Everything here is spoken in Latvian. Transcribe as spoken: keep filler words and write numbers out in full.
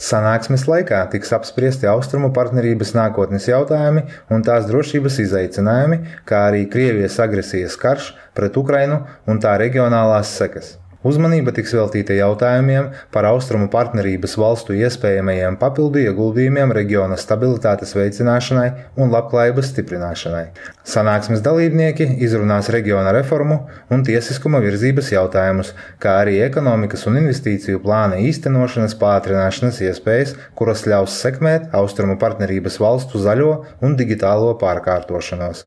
Sanāksmes laikā tiks apspriesti Austrumu partnerības nākotnes jautājumi un tās drošības izaicinājumi, kā arī Krievijas agresijas karš pret Ukrainu un tā reģionālās sekas. Uzmanība tiks veltīta jautājumiem par Austrumu partnerības valstu iespējamajiem papildu ieguldījumiem reģiona stabilitātes veicināšanai un labklājības stiprināšanai. Sanāksmes dalībnieki izrunās reģiona reformu un tiesiskuma virzības jautājumus, kā arī ekonomikas un investīciju plāna īstenošanas pātrināšanas iespējas, kuras ļaus sekmēt Austrumu partnerības valstu zaļo un digitālo pārkārtošanos.